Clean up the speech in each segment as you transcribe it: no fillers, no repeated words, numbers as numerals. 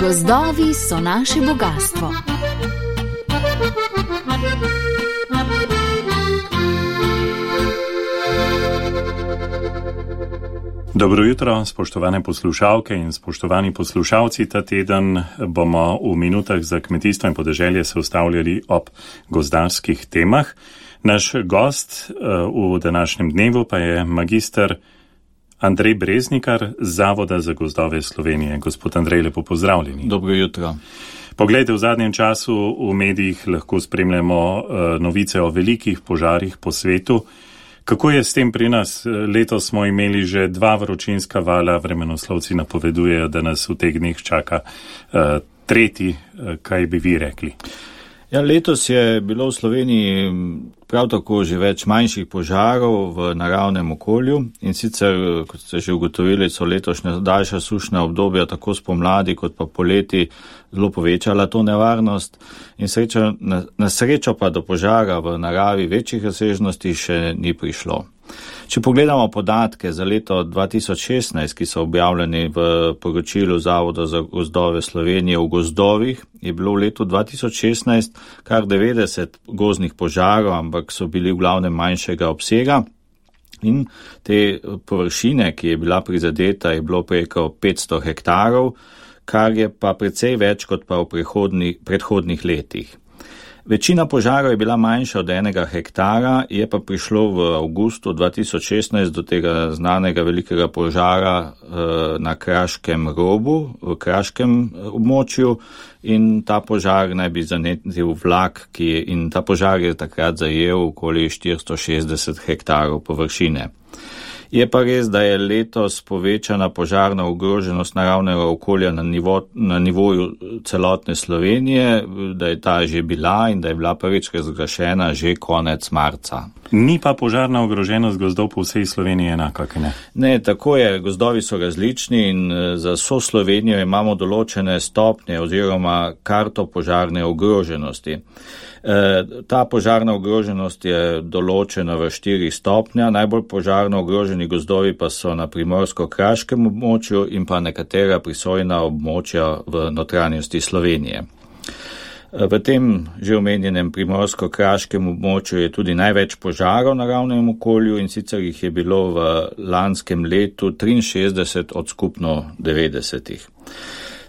Gozdovi so naše bogastvo. Dobro jutro, spoštovane poslušalke in spoštovani poslušalci. Ta teden bomo v minutah za kmetijstvo in podeželje se ustavljali ob gozdarskih temah. Naš gost v današnjem dnevu pa je magister Andrej Breznikar z Zavoda za gozdove Slovenije. Gospod Andrej, lepo pozdravljeni. Dobro jutro. Poglejte, v zadnjem času v medijih lahko spremljamo novice o velikih požarih po svetu. Kako je s tem pri nas? Letos smo imeli že 2 vročinska vala, vremenoslovci napovedujejo, da nas v teh dneh čaka tretji. Kaj bi vi rekli? Ja, letos je bilo v Sloveniji prav tako že več manjših požarov v naravnem okolju in sicer, kot ste že ugotovili, so letošnja daljša sušna obdobja tako spomladi kot pa poleti zelo povečala to nevarnost in na srečo pa do požara v naravi večjih razsežnosti še ni prišlo. Če pogledamo podatke za leto 2016, ki so objavljeni v poročilu Zavoda za gozdove Slovenije v gozdovih, je bilo v letu 2016 kar 90 gozdnih požarov, ampak so bili v glavnem manjšega obsega. In te površine, ki je bila prizadeta, je bilo preko 500 hektarov, kar je pa precej več kot pa v predhodnih letih. Večina požarov je bila manjša od 1 hektara, je pa prišlo v avgustu 2016 do tega znanega velikega požara na Kraškem robu, v kraškem območju in ta požar naj bi zanetil vlak, in ta požar je takrat zajel okoli 460 hektarov površine. Je pa res, da je letos povečana požarna ogroženost naravnega okolja na nivoju celotne Slovenije, da je ta že bila in da je bila prvič razglašena že konec marca. Ni pa požarna ogroženost gozdov po vsej Sloveniji enaka, kaj ne? Ne, tako je, gozdovi so različni in za vso Slovenijo imamo določene stopnje oziroma karto požarne ogroženosti. Ta požarna ogroženost je določena v 4 stopnja, najbolj požarno ogroženi gozdovi pa so na primorsko-kraškem območju in pa nekatera prisojna območja v notranjosti Slovenije. V tem že omenjenem primorsko-kraškem območju je tudi največ požarov na naravnem okolju in sicer jih je bilo v lanskem letu 63 od skupno 90.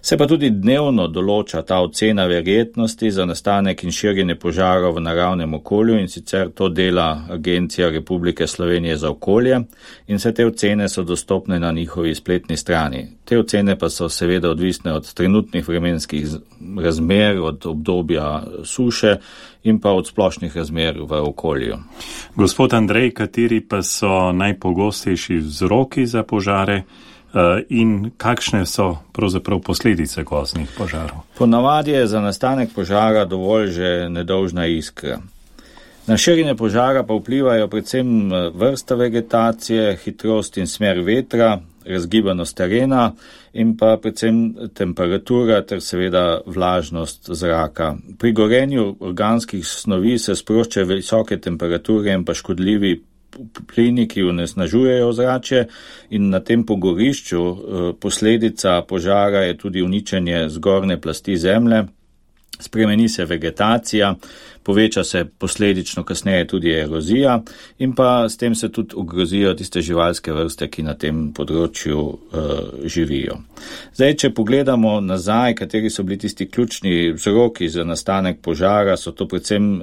Se pa tudi dnevno določa ta ocena verjetnosti za nastanek in širjenje požarov v naravnem okolju in sicer to dela Agencija Republike Slovenije za okolje in vse te ocene so dostopne na njihovi spletni strani. Te ocene pa so seveda odvisne od trenutnih vremenskih razmer, od obdobja suše in pa od splošnih razmer v okolju. Gospod Andrej, kateri pa so najpogostejši vzroki za požare? In kakšne so pravzaprav posledice gozdnih požarov? Ponavadi je za nastanek požara dovolj že nedolžna iskra. Na širjenje požara pa vplivajo predvsem vrsta vegetacije, hitrost in smer vetra, razgibanost terena in pa predvsem temperatura ter seveda vlažnost zraka. Pri gorenju organskih snovi se sproščajo visoke temperature in pa škodljivi plini, ki onesnažujejo ozračje in na tem pogorišču posledica požara je tudi uničenje zgornje plasti zemlje, spremeni se vegetacija, poveča se posledično kasneje tudi erozija in pa s tem se tudi ogrozijo tiste živalske vrste, ki na tem področju živijo. Zdaj, če pogledamo nazaj, kateri so bili tisti ključni vzroki za nastanek požara, so to predvsem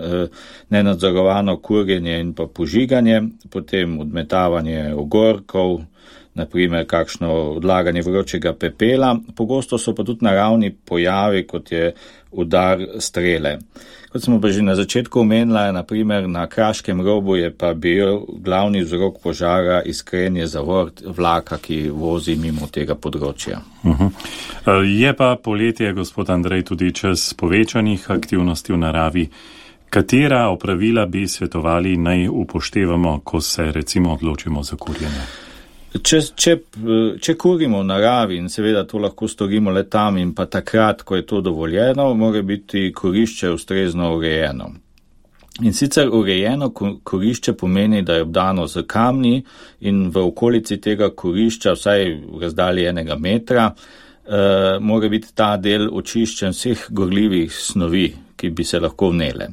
nenadzorovano kurjenje in pa požiganje, potem odmetavanje ogorkov, naprimer kakšno odlaganje vročega pepela, pogosto so pa tudi naravni pojavi, kot je udar strele. Kot smo pa že na začetku omenila, naprimer na Kraškem robu je pa bil glavni vzrok požara iskrenje zavor vlaka, ki vozi mimo tega področja. Je pa poletje, gospod Andrej, tudi čas povečanih aktivnosti v naravi. Katera opravila bi svetovali naj upoštevamo, ko se recimo odločimo za kurjenje? Če kurimo v naravi in seveda to lahko storimo le tam in pa takrat, ko je to dovoljeno, mora biti kurišče ustrezno urejeno. In sicer urejeno kurišče pomeni, da je obdano z kamni in v okolici tega kurišča, vsaj v razdalji 1 metra, mora biti ta del očiščen vseh gorljivih snovi, ki bi se lahko vnele.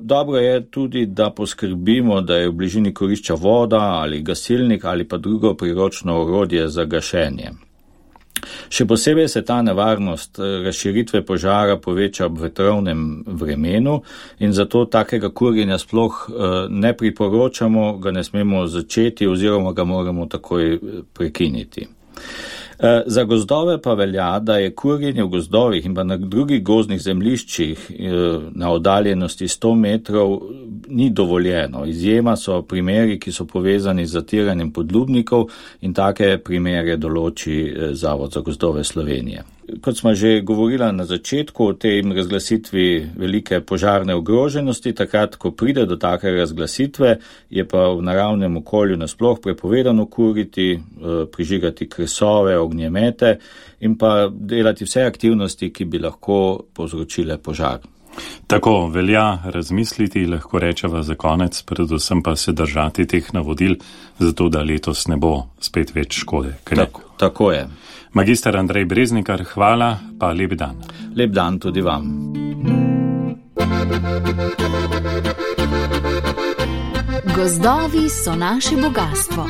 Dobro je tudi, da poskrbimo, da je v bližini kurišča voda ali gasilnik ali pa drugo priročno orodje za gašenje. Še posebej se ta nevarnost razširitve požara poveča ob vetrovnem vremenu in zato takega kurjenja sploh ne priporočamo, ga ne smemo začeti oziroma ga moramo takoj prekiniti. Za gozdove pa velja, da je kurjenje v gozdovih in pa na drugih gozdnih zemljiščih na oddaljenosti 100 metrov ni dovoljeno. Izjema so primeri, ki so povezani z zatiranjem podlubnikov in take primere določi Zavod za gozdove Slovenije. Kot smo že govorila na začetku o tej razglasitvi velike požarne ogroženosti, takrat, ko pride do take razglasitve, je pa v naravnem okolju nasploh prepovedano kuriti, prižigati kresove, ognjemete in pa delati vse aktivnosti, ki bi lahko povzročile požar. Tako velja razmisliti, lahko rečeva za konec, predvsem pa se držati teh navodil, zato da letos ne bo spet več škode. Tako je. Magister Andrej Breznikar, hvala, pa lep dan. Lep dan tudi vam. Gozdovi so naše bogastvo.